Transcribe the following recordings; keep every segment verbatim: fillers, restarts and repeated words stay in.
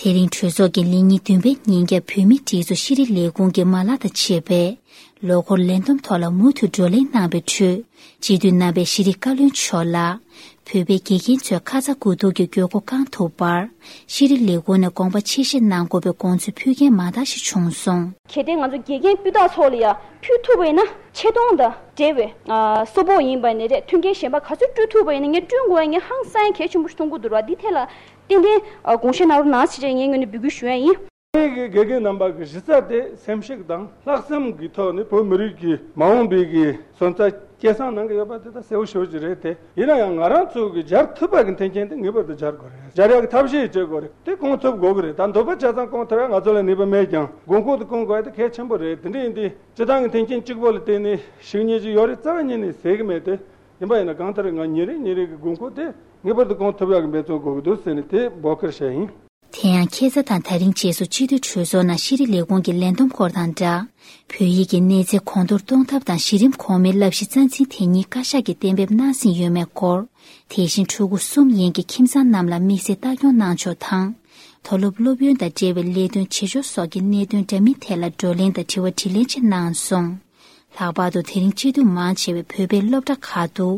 དེ་རིང་གྲོས་ཚོགས་ཀྱི་ལས་ཉིན་བདུན་པའི་ཉིན་རྒྱབ་བོད་མིའི་སྒྲིག་འཛུགས་ཤེས་རིག་ལས་ཁུངས་ཀྱི་མ་ལག་དང་བཅས་པའི་ལོ་འཁོར་ལས་བསྡོམས་ཐོག་ལ་མུ་མཐུད་བགྲོ་གླེང་གནང་བའི་ཁྲོད། སྤྱི་འཐུས་རྣམ་པས་ཤེས་རིག་བཀའ་བློན་མཆོག་ལ། བོད་པའི་དགེ་རྒན་ཚོས་ཁ་ཚ་དགོས་གཏུགས་ཀྱི་དགོས་མཁོ་བསྐང་ཐུབ་པར། ཤེས་རིག་ལས་ཁུངས་ནས་དགོངས་པ་ཆེ་བཞེས་གནང་དགོས་པའི་དགོངས་ཚུལ་ཕུལ་མཁན་མང་དག་ཞིག་བྱུང་སོང་། གལ་ཏེ་ང་ཚོ་དགེ་རྒན་སྤུས་དག་ཚོ་ལ་ཡང་ཕུལ་ཐུབ་པ་ཡིན་ན། ཆེ་མཐོང་དང་འབྲེལ་བའི་ཨ་གསོལ་ཕོགས་ཡིན་པ་ནས་རེད། མཐུན་རྐྱེན་གཞན་པ་ག་ཚོད་བསྐྲུན་ཐུབ་པ་ཡིན་ན། ངས་བསྐྲུན་དགོས་པ་ངས་ཧང་སང་གལ་ཆེན་པོ་ཞིག་མཐོང་གི་འདུག་ར། འདི་ཐད་ལ་ཏན་ཏན་ཨ་དགོངས་བཞེས་གནང་རོགས་གནང་ཞེས་ངས་ངོས་ནས་འབོད་སྐུལ་ཞུ་ཡ་ཡིན། ངེད་ཀྱི་དགེ་རྒན་རྣམ་པ་གི་གཞི་རྩ་དེ་སེམས་ཤུགས་དང་ལྷག་བསམ་གྱི་ཐོག་ནས་བོད་མི་རིགས་ཀྱི་མ་འོངས་པའི་གི་སོན་རྩ་སྐྱེད་སྲིང་གནང་གི་ཡོད་པ་དེ་ད་གསལ་པོ་ཞེ་པོ་ཅིག་རེད་དེ། ཡིན་ན་ཡང་ང་རང་ཚོ་གི་སྦྱར་ཐུབ་པ་གི་མཐུན་རྐྱེན་དེ་ངེས་པར་དུ་སྦྱར་དགོས་རེད། སྦྱར་ཡག་གི་ཐབས་ཤེས་བྱེད་དགོས་རེད། དེ་སྐོང་ཐུབ་དགོས་གི་རེད། ད་འདོད་པ་ཆ་ཚང་སྐོང་ཐུབ་ཡག་ང་ཚོ་ལ་ནུས་པ་མེད་ཀྱང་དགོས་མཁོ་དེ་སྐོང་དགོས་ཡག་དེ་གལ་ཆེན་པོ་རེད། དེ་འདྲ་ཡིན་དུས་སྤྱི་བཏང་གི་མཐུན་རྐྱེན་གཅིག་པོ་ལ་བརྟེན་ནས་ཞིག་གཉིས་ཅིག་ཡོད་རེད་རྩ་བ་ཉིད་ནས་ཟེར་གི་མེད་དེ། ཡིན་པ་ཡིན་ན་གང་ལྟར་ང་ཉིན་རེ་ཉིན་རེ་གི་དགོས་མཁོ་དེ་ངེས་པར་དུ་སྐོང་ཐུབ་ཡག་གི་འབད་བརྩོན་དགོས་ཀྱི་འདུག་ཟེར་ནས་དེ་འབོད་སྐུལ་བྱས་ཡིན། དེ་ཡང་ཁ་སང་དང་ད་རིང་རྗེས་སུ་སྤྱི་འཐུས་གྲོས་ཚོགས་ནང་ཤེས་རིག་ལས་ཁུངས་ཀྱི་ལས་བསྡོམས་སྐོར་དང་སྦྲགས། བོད་ཡིག་གི་གནས་ཚད་གོང་མཐོར་གཏོང་ཐབས་དང་གཞི་རིམ་གོང་མའི་བསླབ་གཞི་རྩ་འཛིན་དེ་ཉིད་བཀའ་ཤག་གིས་གཏན་འབེབས་གནང་ཟིན་ཡོད་མེད་སྐོར། དེ་བཞིན་ཕྲུ་གུ་གསུམ་ཡན་གྱི་ཁྱིམ་ཚང་རྣམས་ལ་དམིགས་བསལ་ལྟ་སྐྱོང་གནང་ཕྱོགས་དང་། མཐོ་སློབ་སློབ་ཡོན་དང་འབྲེལ་བའི་ལས་དོན་བྱེད་ཕྱོགས་སོགས་ཀྱི་གནད་དོན་འདྲ་མིན་ཐད་ལ་བགྲོ་གླེང་དང་དྲི་བ་དྲིས་ལན་བཅས་གནང་སོང་། ལྷག་པར་དུ་དེ་རིང་སྤྱི་འཐུས་མང་ཆེ་བས་བོད་པའི་སློབ་གྲྭ་ཁག་ཏུ་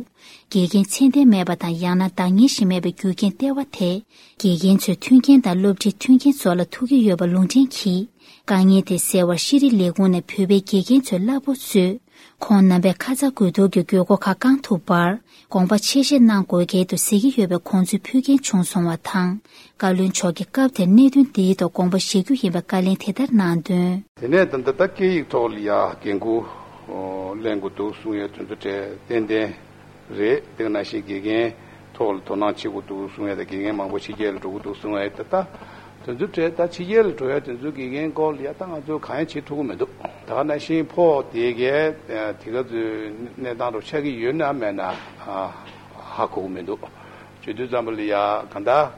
དགེ་རྒན་ཚད་ལྡན་མེད་པ་དང་ཡང་ན་འདང་ངེས་ཤིག་མེད་པའི་རྒྱུ་རྐྱེན་ལྟེ་བ་དེ། དགེ་རྒན་ཚོས་མཐུན་རྐྱེན་དང་སློབ་ཁྲིད་མཐུན་རྐྱེན་སོགས་ལ་ཐུག་གི་ཡོད་པ་ལུང་འདྲེན་གྱིས། དཀའ་ངལ་དེ་སེལ་བར་ཤེས་རིག་ལས་ཁུངས་ནས་བོད་པའི་དགེ་རྒན་ཚོའི་གླ་ཕོགས་གཙོས། ཁོང་རྣམ་པས་ཁ་ཚ་དགོས་གཏུགས་ཀྱི་དགོས་མཁོ་ཁག་བསྐང་ཐུབ་པར་དགོངས་པ་ཆེ་བཞེས་གནང་དགོས་གལ་འདུག་ཟེར་གྱི་ཡོད་པའི་དགོངས་ཚུལ་ཕུལ་མཁན་བྱུང་སོང་བ་དང་། བཀའ་བློན་མཆོག་གིས་སྐབས་དེར་གནད་དོན་འདིའི་ཐོག་དགོངས་པ་བཞེས་རྒྱུ་ཡིན་པའི་བཀའ་ལན་དེ་ལྟར་གནང་དོན། དེ་ནས་ད་ལྟ་ད་སྐད་ཡིག་ཐོག་ལ་ཡ་འགན་ཁུར་ལེན་དགོས་འདུག་གསུང་ཡས་དོན་ཚུལ་གྲས་ཏན་ཏན་རེད། དེ་ནང་བཞིན་དགེ་རྒན་ཐོག་ལ་དོ་སྣང་བྱེད་དགོས་འདུག་གསུང་ཡས་དང་། དགེ་རྒན་མང་པོ་ཕྱི་རྒྱལ་ལ་འགྲོ་གི་འདུག་གསུང་ཡས། ད་ལྟ་དོན་ཚུལ་གྲས་ད་ཕྱི་རྒྱལ་ལ་འགྲོ་ཡས་དོན་ཚུལ་དགེ་རྒན་སྐོར་ལ་ཡ་ད་ང་ཚོ་གང་ཡང་བྱེད་ཐུབ་ཀྱི་མི་འདུག་ད་ག་ནང་བཞིན་ཕོགས་དེ་གའི་དེ་ག་ཚོའི་གནས་སྟངས་རུ་ཆགས་ཀྱི་ཡོད་ན་མེད་ན་ཧ་གོ་གི་མི་འདུག་བྱེད་དུས་ཙམ་པ་ལ་ཡ་གང་ལྟར།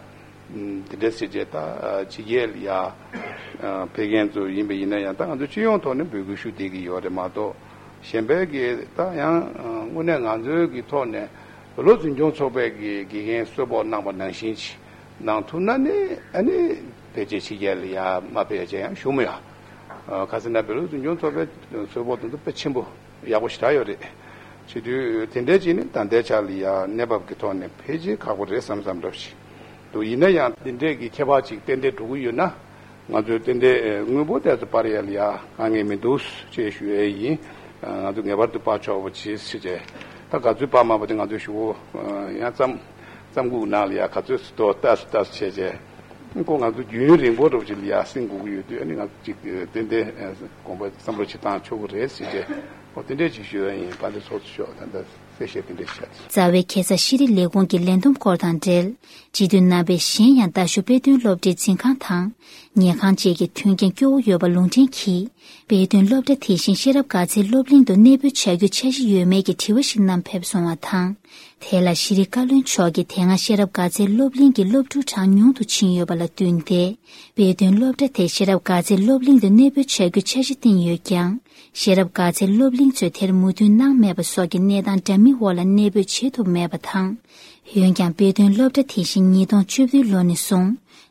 དེ་འདྲ་ཟེར་བྱས་ད་ཕྱི་རྒྱལ་ལ་ཡ་ཕེབས་མཁན་ཚོ་ཡིན་པ་ཡིན་ན་ཡང་། ད་ང་ཚོ་སྤྱི་ཡོངས་ཐོག་ནས་འབོད་སྐུལ་ཞུ་བསྡད་ཀྱི་ཡོད་རེད་མ་གཏོགས། གཞན་པའི་གི་ད་ཡང་དངོས་གནས་ང་ཚོའི་གི་ཐོག་ནས་བོད་སློབ་འཛིན་སྐྱོང་ཚོགས་པའི་གི་དགེ་རྒན་གསོལ་ཕོགས་གནང་པ་ནང་བཞིན་ཅིག་གནང་ཐུབ་ན་ནི། ཨ་ནི་ཕལ་ཆེར་ཕྱི་རྒྱལ་ལ་ཡ་མ་ཕེབས་ཡ་ཅན་ཡང་ཞུ་མི་ཡ། ཁ་སང་ན་བོད་སློབ་འཛིན་སྐྱོང་ཚོགས་པའི་གསོལ་ཕོགས་དེ་ཚོ་དཔེ་ཆེན་པོ་ཡག་པོ་ཞེ་དྲག་ཡོད་རེད། བྱེད་དུས་དེ་འདྲའི་ཅིག་ནི་ད་ལྟའི་ཆ་ལ་ཡ་གནས་བབ་ཀྱི་ཐོག་ནས་ཕལ་ཆེར་ཁག་པོ་རེད་བསམ་བསམ་འདྲ་ཞིག་འདུག་ཡིན་ན་ཡང་དེ་འདྲའི་གི་ཁྱད་པར་ཅིག་ཏན་ཏན་འགྲོ་གི་ཡོད་ན། ང་ཚོས་ཏན་ཏན་དངུལ་འབོར་དེ་ཚོ་སྤར་ཡ་ལ་ཡ་དཀའ་ངལ་མི་འདུག་ཅེས་ཞུ་ཡས་ཡིན། ང་ཚོ་ངེས་པར་དུ་སྤར་ཆོག་པ་བྱེད་ཟེར་བྱས། ད་ག་ཚོད་སྤར་མ་པ་དེ་ང་ཚོས་ཞུ་གོ་ཡང་ཙམ་ཙམ་སྒུག་ནང་ལ་ཡ་ག་ཚོད་སུ་ཏོ་ལྟ་སུ་ལྟ་སུ་བྱས་བྱས། ཁོ་ང་ཚོ་རྒྱུན་རིང་པོ་འགྲོ་ཅིག་ལ་ཡ་སེང་དགོས་ཀྱི་ཡོད་དུས། ཨ་ནི་ང་ཚོ་ཅིག་ཏན་ཏན་དགོངས་པ་བསམ་བློ་ཅིག་བཏང་ཆོག་གི་རེད་ཟེར་བྱས། ཨོ་དེ་འདྲས་ཅིག་ཞུ་ཡ་ཡིན། དཔལ་ལྡན་ཚོགས་གཙོ་མཆོག་ད་ལྟ་གསལ་བཤད་དེ་འདྲས་བྱས། རྩ་བའི་ཁ་སང་ཤེས་རིག་ལས་ཁུངས་ཀྱི་ལས་བསྡོམས་སྐོར་དང་འབྲེལ། སྤྱི་འཐུས་རྣམ་པས་གཞན་ཡང་རྡ་ཤོད་དཔེ་སྟོན་སློབ་གྲྭའི་འཛིན་ཁང་དང་ཉལ་ཁང་བཅས་ཀྱི་མཐུན་རྐྱེན་སྐྱོ་བོ་ཡོད་པ་ལུང་འདྲེན་གྱིས། དཔེ་སྟོན་སློབ་གྲྭ་དེ་བཞིན་ཤེས་རབ་དགའ་ཚལ་སློབ་གླིང་དུ་གནས་སྤོས་བྱ་རྒྱུའི་འཆར་གཞི་ཡོད་མེད་ཀྱི་དྲི་བ་ཞིག་བསྣམས་ཕེབས་སོང་བ་དང་། དེ་ལ་ཤེས་རིག་བཀའ་བློན་མཆོག་གིས་དེ་སྔ་ཤེས་རབ་དགའ་ཚལ་སློབ་གླིང་གི་སློབ་ཕྲུག་གྲངས་ཉུང་དུ་ཕྱིན་ཡོད་པ་ལ་བསྟུན་ཏེ། དཔེ་སྟོན་སློབ་གྲྭ་དེ་ཤེས་རབ་དགའ་ཚལ་སློབ་གླིང་དུ་གནས་སྤོས་བྱ་རྒྱུའི་འཆར་གཞི་བཏིང་ཡོད་ཀྱང་། ཤེས་རབ་དགའ་ཚལ་སློབ་གླིང་ཚོས་དེར་མོས་མཐུན་གནང་མེད་པ་སོགས་ཀྱི་གནས་སྟངས་འདྲ་མིན་འོག་ལ་གནས་སྤོས་བྱེད་ཐུབ་མེད་པ་དང་། འོན་ཀྱང་དཔེ་སྟོན་སློབ་གྲྭ་དེ་བཞིན་ཉིས་སྟོང་བཅུ་བདུན་ལོ་ནས་བཟུང་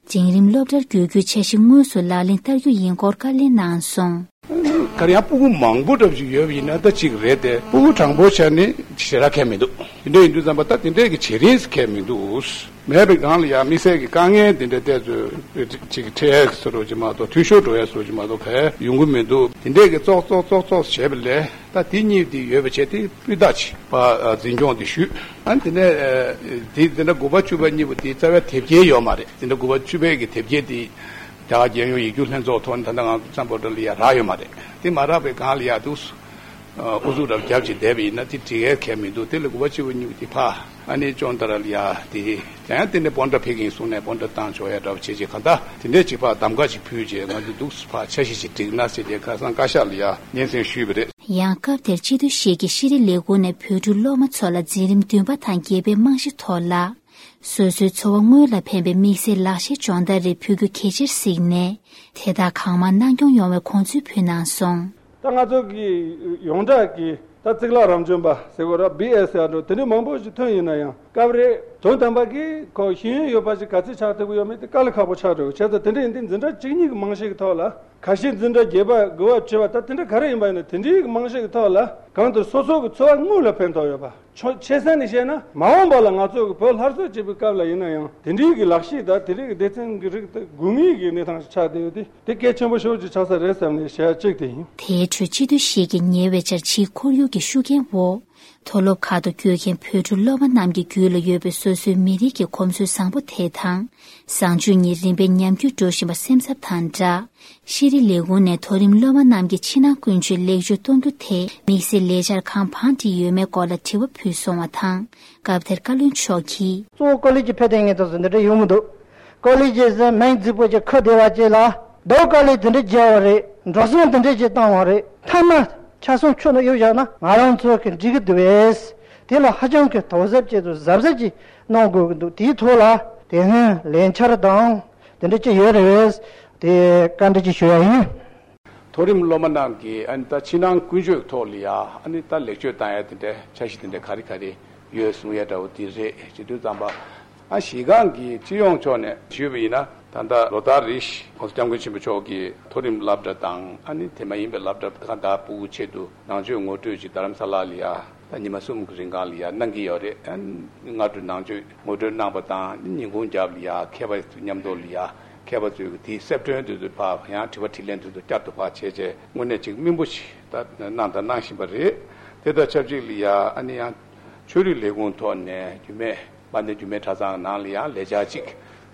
འབྲིང་རིམ་སློབ་གྲྭར་བསྒྱུར་རྒྱུའི་འཆར་གཞི་དངོས་སུ་ལག་ལེན་བསྟར་རྒྱུ་ཡིན་སྐོར་བཀའ་ལན་གནང་སོང་། ག་རེ་ཡང་སྤུ་གུ་མང་པོ་འདྲ་ཞིག་ཡོད་པ་ཡིན་ན་ད་གཅིག་རེད་དེ། སྤུ་གུ་གྲངས་འབོར་ཆ་ནི་ཞེ་དྲག་ཁྱད་མི་འདུག་དེ་འདྲ་ཡིན་དུས་ཙམ་པ་ད་དེ་འདྲས་ཀྱི་བྱེད་རིན་ཁྱད་མི་འདུག་མེད་པའི་སྒང་ལ་ཡང་དམིགས་བསལ་གྱི་དཀའ་ངལ་དེ་འདྲ་ཏོག་ཙམ་ཅིག་འཕྲད་ཡས་བཟོ་འདྲ་ཅིག་མ་གཏོགས། འཐུས་ཤོར་འགྲོ་ཡས་བཟོ་འདྲ་ཅིག་མ་གཏོགས་ག་ཡང་ཡོང་གི་མི་འདུག་དེ་འདྲས་ཀྱི་ཙོག་ཙོག་ཙོག་ཙོག་བྱས་པ་ལས། ད་དེ་གཉིས་དེ་ཡོད་པ་བྱས་ཏེ་སྤུས་དག་ཅིག་ཕར་འཛིན་སྐྱོང་དེ་ཞུས། ཨ་ནི་དེ་ནས་དེ་འདྲ་དགུ་པ་བཅུ་པ་གཉིས་པོ་དེ་རྩ་བའི་དེབ་སྐྱེལ་ཡོད་མ་རེད། དེ་འདྲ་དགུ་པ་བཅུ་པའི་གི་དེབ་སྐྱེལ་དེ་རྒྱ་གར་རྒྱལ་ཡོངས་ཡིག་རྒྱུགས་ལྷན་ཚོགས་ཐོག་ནས་ད་ལྟ་ང་ཚོ་ཙམ་པོ་འདྲ་ལ་ཡ་རག་ཡོད་མ་རེད། དེ་མ་རག་པའི་སྒང་ལ་ཡ་འདུག་ཨུ་ཚུགས་རབ་རྒྱབ་ཅིག་བསྡད་པ་ཡིན་ན་དེ་འགྲིག་ཡས་ཁྱད་མི་འདུག་དེ་ལ་དགུ་པ་བཅུ་པ་གཉིས་པོ་དེ་ཕར་ཨ་ནི་ཅོང་ཏ་ར་ལ་ཡ་དེ་དེ་ཡང་དེ་ནས་སྤོན་ཊ་ཕེབས་ཀྱི་ཡིན་གསུངས་ནས་སྤོན་ཊ་བཏང་ཆོག་ཡ་འདྲ་བ་བྱེད་ཅིག་གང་ལྟར་དེ་འདྲས་ཅིག་ཕར་གདམ་ག་ཅིག་ཕུལ་རྗེས་ང་ཚོ་འདུག་ཕར་འཆར་གཞི་ཅིག་བསྒྲིགས་ན་ཟེར་ཏེ་ཁ་སང་བཀའ་ཤག་ལ་ཡ་སྙན་སེང་ཞུས་པ་རེད། ཡང་སྐབས་དེར་སྤྱི་འཐུས་ཤིག་གིས་ཤེས་རིག་ལས་ཁུངས་ནས་བོད་ཕྲུག་སློབ་མ་ཚོ་ལ་འཛིན་རིམ་བདུན་པ་དང་བརྒྱད་པའི་རྨང་གཞི་ཐོག་ལ། སོ་སོའི་འཚོ་བ་དངོས་ལ་ཕན་པའི་དམིགས་བསལ་ལག་ཤེས་སྦྱོང་བརྡར་རེ་ཕུལ་རྒྱུ་གལ་ཆེར་གཟིགས་ནས། དེ་དག་གང་མང་གནང་སྐྱོང་ཡོང་བའི་དགོངས་ཚུལ་ཕུལ་གནང་སོང་། ད་ང་ཚོ་གི་ཡོངས་གྲགས་ཀྱི་ད་གཙུག་ལག་རབ་འབྱམས་པ་ཟེར་དགོས་ར། བི་ཨེ་ཟེར་འགྲོ་དེ་འདྲའི་མང་པོ་ཞིག་ཐོན་ཡིན་ན་ཡང་། སྐབས་རེ་དོན་དམ་པ་གི་ཁོ་ཤེས་ཡོན་ཡོད་པ་ཞིག་ག་ཚོད་ཆགས་ཐུབ་ཀྱི་ཡོད་མེད་དེ་དཀའ་ལས་ཁག་པོ་ཆགས་འགྲོ་གི། བྱས་ཙང་དེ་འདྲ་ཡིན་དུས་འཛིན་གྲྭ་གཅིག་གཉིས་ཀྱི་རྨང་གཞི་གི་ཐོག་ལ་ཁ་ཤས་འཛིན་གྲྭ་བརྒྱད་པ་དགུ་པ་བཅུ་པ་ད་དེ་འདྲ་ག་རེ་ཡིན་པ་ཡིན་ན་དེ་འདྲའི་གི་རྨང་གཞི་གི་ཐོག་ལ་གང་ལྟར་སོ་སོ་གི་འཚོ་བ་དངོས་ལ་ཕན་ཐོགས་ཡོད་པ། ཆོ་ཆེ་ས་ནས་བཤད་ན་མ་འོངས་པ་ལ་ང་ཚོ་གི་བོད་སླར་གསོ་བྱེད་པའི་སྐབས་ལ་ཡིན་ན་ཡང་དེ་འདྲའི་གི་ལག་ཤེས་དང་དེ་འདྲའི་གི་སྡེ་ཚན་གི་རིགས་དང་དགོས་ངེས་ཀྱི་གནས་སྟངས་ཤིག་ཆགས་བསྡད་ཡོད་དེ་དེ་གལ་ཆེན་པོ་ཞེ་པོ་ཅིག་ཆགས་ས་རེད་བསམ་ནས་བཤད་ཡ་གཅིག་དེ་ཡིན། དེའི་ཁྲོད་སྤྱི་འཐུས་ཤིག་གིས་ཉེ་བའི་ཆར་ཕྱིའི་ཁོར་ཡུག་གི་ཤུགས་རྐྱེན་འོག་མཐོ་སློབ་ཁག་ཏུ་བསྐྱོད་མཁན་བོད་ཕྲུག་སློབ་མ་རྣམས་ཀྱི་རྒྱུད་ལ་ཡོད་པའི་སོ་སོའི་མི་རིགས་ཀྱི་གོམས་སྲོལ་བཟང་པོ་དེ་དང་། བཟང་སྤྱོད་གཉིས་རིམ་པས་ཉམས་རྒུད་འགྲོ་བཞིན་པ་སེམས་འཚབ་དང་སྦྲགས། ཤེས་རིག་ལས་ཁུངས་ནས་མཐོ་རིམ་སློབ་མ་རྣམས་ཀྱི་ཕྱི་ནང་ཀུན་སྤྱོད་ལེགས་བཅོས་གཏོང་རྒྱུ་དེ་དམིགས་བསལ་ལས་འཆར་གང་བང་སྒྲིག་ཡོད་མེད་སྐོར་ལ་དྲི་བ་ཕུལ་སོང་བ་དང་། སྐབས་དེར་བཀའ་བློན་མཆོག་གིས། གཙོ་བོ་ཀོ་ལེ་ཇི་ཕེབས་དེ་ངས་ད་གཟོད་འདི་འདྲ་ཡོང་མི་འདུག་ཀོ་ལེ་ཇི་ཟེར་མིང་རྫིག་པོ་ཅིག་ཁ་བདེ་བ་ཅིག་ལ་རྡོ་དཀའ་ལས་དེ་འདྲ་བརྒྱབ་པ་རེད། འགྲོ་སོང་དེ་འདྲ་ཅིག་བཏང་བ་རེད། མཐའ་མ་ཆ་ཚང་ཁྱོན་ནས་གཡུག་བཞག་ན་ང་རང་ཚོ་གི་འགྲིག་གི་འདུག་བས། དེ་ལ་ཧ་ཅང་གི་དོགས་གཟབ་ཅིག་དང་གཟབ་གཟབ་ཅིག་གནང་དགོས་ཀྱི་འདུག་དེའི་ཐོག་ལ་དེ་སྔོན་ལས་འཆར་དང་དེ་འདྲ་ཅིག་ཡོད་རེད་བས། དེ་བཀའ་འདྲི་ཅིག་ཞུ་ཡ་ཡིན། མཐོ་རིམ་སློབ་མ་རྣམས་ཀྱིས་ཨ་ནི་ད་ཕྱི་ནང་ཀུན་སྤྱོད་ཐོག་ལ་ཡ་ཨ་ནི་ད་ལེགས་བཅོས་བཏང་ཡ་དེ་འདྲ་འཆར་གཞི་དེ་འདྲ་ག་རེ་ག་རེ་ཡོད་གསུང་ཡ་འདྲ་བོ་དེ་རེད། བྱེད་དུས་ཙམ་པ་ཨ་གཞི་སྒང་གི་སྤྱི་ཡོངས་ཕྱོགས་ནས་ཞུས་པ་ཡིན་ན་ད་ལྟ་ལོ་ལྟར་རེ་བཞིན་༸གོང་ས་༸སྐྱབས་མགོན་ཆེན་པོ་མཆོག་གིས་མཐོ་རིམ་སློབ་གྲྭ་དང་ཨ་ནི་དེ་མ་ཡིན་པའི་སློབ་གྲྭ་ཁག་དང་ཕྲུ་གུ་ཆེད་དུ་ནང་ཆོས་ངོ་སྤྲོད་ཅིག་རྡ་རམ་ས་ལ་ལ་ཡ་ད་ཉི་མ་གསུམ་གྱི་རིང་གང་ལ་ཡ་གནང་གི་ཡོད་རེད། ཨ་ནི་སྔ་དྲོ་ནང་ཆོས་ངོ་སྤྲོད་གནང་པ་དང་ཉིན་གུང་རྒྱབ་ལ་ཡ་མཁས་པ་ཚོ་མཉམ་དུ་ལ་ཡ་མཁས་པ་ཚོས་དེའི་གསལ་སྒྲོན་དེ་ཚོ་ཕར་ཡང་དྲི་བ་དྲིས་ལན་དེ་ཚོ་བསྐྱར་དུ་ཕར་བྱས་རྗེས་དངོས་གནས་ཅིག་སྨིན་པོ་ཞིག་ད་གནང་དང་གནང་བཞིན་པ་རེད། དེ་དང་ཆབས་ཅིག་ལ་ཡ་ཨ་ནི་ཡང་ཆོས་རིག་ལས་ཁུངས་ཐོག་ནས་རྒྱུད་སྨད་དཔལ་ལྡན་རྒྱུད་སྨད་གྲྭ་ཚང་ནང་ལ་ཡ་ལས་འཆར་ཅིག་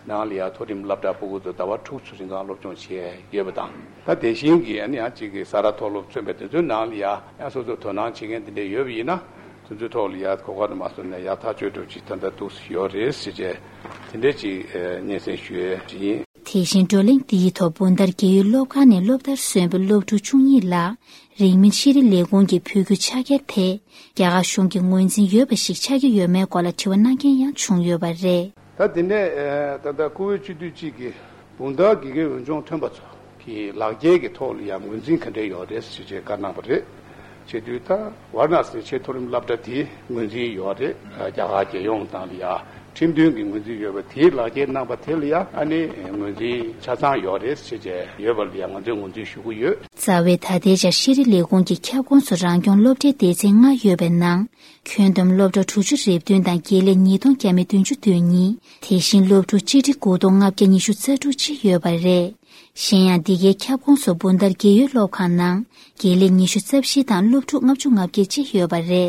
ནང་ལ་ཡ་མཐོ་རིམ་སློབ་གྲྭ་ཕྲུ་གུ་ཚོ་ཟླ་བ་དྲུག་ཙམ་རིང་གང་སློབ་སྦྱོང་བྱས་ཡོད་པ་དང་ད་དེ་བཞིན་གྱི་ཨ་ནི་ཡང་ཅིག་གི་ས་རཱ་མཐོ་སློབ་མཚོན་པའི་དེ་ཚོའི་ནང་ལ་ཡ་ཡང་སོ་སོ་དོ་སྣང་བྱེད་མཁན་དེ་འདྲ་ཡོད་པ་ཡིན་ན། དེ་ཚོའི་ཐོག་ལ་ཡ་གོ་སྐབས་དུ་མ་སོང་ནས་ཡག་ཐག་ཆོད་འགྲོ་ཅིག་ད་ལྟ་འདུག་ཡོད་རེད་ཟེར་བྱས་དེ་འདྲས་ཅིག་སྙན་སེང་ཞུ་ཡས་ཅིག་ཡིན། དེ་བཞིན་བགྲོ་གླེང་འདིའི་ཐོག་སྦུག་མདའ་རྒས་ཡོལ་སློབ་ཁང་ནས་སློབ་མཐར་སོན་པའི་སློབ་ཕྲུག་བཅུ་གཉིས་ལ་རིང་མིན་ཤེས་རིག་ལས་ཁུངས་ཀྱིས་ཕུལ་རྒྱུའི་ཕྱག་འཁྱེར་དེ་རྒྱ་གར་གཞུང་གི་ངོས་འཛིན་ཡོད་པ་ཞིག་ཆགས་ཀྱི་ཡོད་མེད་སྐོར་ལ་དྲི་བ་གནང་མཁན་ཡང་བྱུང་ཡོད་པ་རེད། ད་དེ་ནས་ད་ལྟ་བཀུར་འོས་སྤྱི་འཐུས་གཅིག་གིས་སྦུག་མདའ་དགེ་རྒན་འོས་སྦྱོང་ཐོན་པ་ཚོ་གི་ལག་འཁྱེར་གྱི་ཐོག་ལ་ཡང་ངོས་འཛིན་ག་འདྲས་ཡོད་རེད་ཞེས་བྱས་བཀའ་གནང་བ་རེད། བྱེད་དུས་ད་ཝཱ་ར་ཎ་སིའི་ཆེས་མཐོ་རིམ་སློབ་གྲྭ་དེའི་ངོས་འཛིན་ཡོད་རེད། རྒྱ་གར་རྒྱལ་ཡོངས་དང་ལ་ཡ་ཁྲིམས་མཐུན་གྱི་ངོས་འཛིན་ཡོད་པ་དེའི་ལག་འཁྱེར་གནང་པ་དེ་ལ་ཡ་ཨ་ནི་ངོས་འཛིན་ཆ་ཚང་ཡོད་རེད་ཞེས་བྱས་ཡོད་པ་ལ་ཡ་ང་ཚོས་ངོས་འཛིན་ཞུ་གི་ཡོད། རྩ་བའི་ད་ལྟའི་ཆར་ཤེས་རིག་ལས་ཁུངས་ཀྱི་ཁྱབ་ཁོངས་སུ་རང་སྐྱོང་སློབ་གྲྭའི་སྡེ་ཚན་ལྔ་ཡོད་པའི་ནང་། ཁྱོན་བསྡོམས་སློབ་གྲྭ་དྲུག་ཅུ་རེ་བདུན་དང་དགེ་ལས་ཉིས་སྟོང་བརྒྱ་མེད་བདུན་ཅུ་དོན་གཉིས། དེ་བཞིན་སློབ་ཕྲུག་སྤྱི་ཁྲི་དགུ་སྟོང་ལྔ་བརྒྱ་ཉི་ཤུ་རྩ་དྲུག་ཅིག་ཡོད་པ་རེད། གཞན་ཡང་འདི་གའི་ཁྱབ་ཁོངས་སུ་སྦུག་མདའ་རྒས་ཡོལ་སློབ་ཁང་ནང་དགེ་ལས་ཉི་ཤུ་རྩ་བཞི་དང་སློབ་ཕྲུག་ལྔ་བཅུ་ང་བརྒྱད་ཅིག་ཡོད་པ་རེད།